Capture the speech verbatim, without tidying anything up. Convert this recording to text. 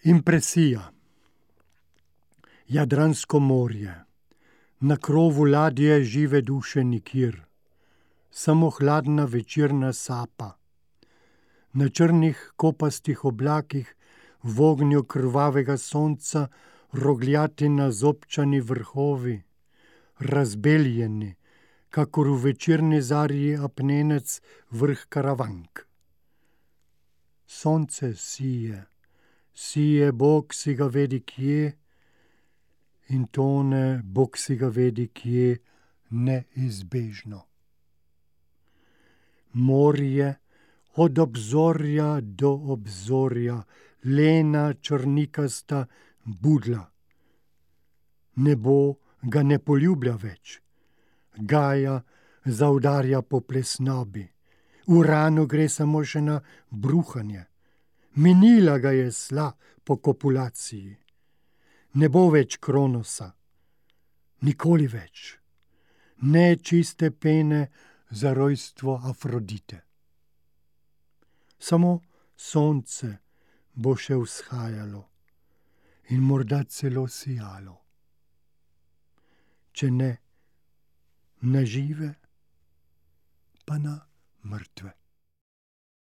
Impresija. Jadransko morje. Na krovu ladje žive duše nikjer. Samo hladna večerna sapa. Na črnih kopastih oblakih v ognju krvavega sonca rogljati nazobčani vrhovi, razbeljeni, kakor v večerni zarji apnenec vrh Karavank. Sonce sije, sije Bog si ga vedi kje, in tone Bog si ga vedi kje neizbežno. Morje od obzorja do obzorja, lena črnikasta budla. Nebo ga ne poljublja več, Gaja zaudarja po plesnobi, Uranu gre samo še na bruhanje, minila ga je sla po kopulaciji. Ne bo več Kronosa, nikoli več, ne čiste pene za rojstvo Afrodite. Samo sonce bo še vzhajalo in morda celo sijalo. Če ne na žive, pa na mrtve.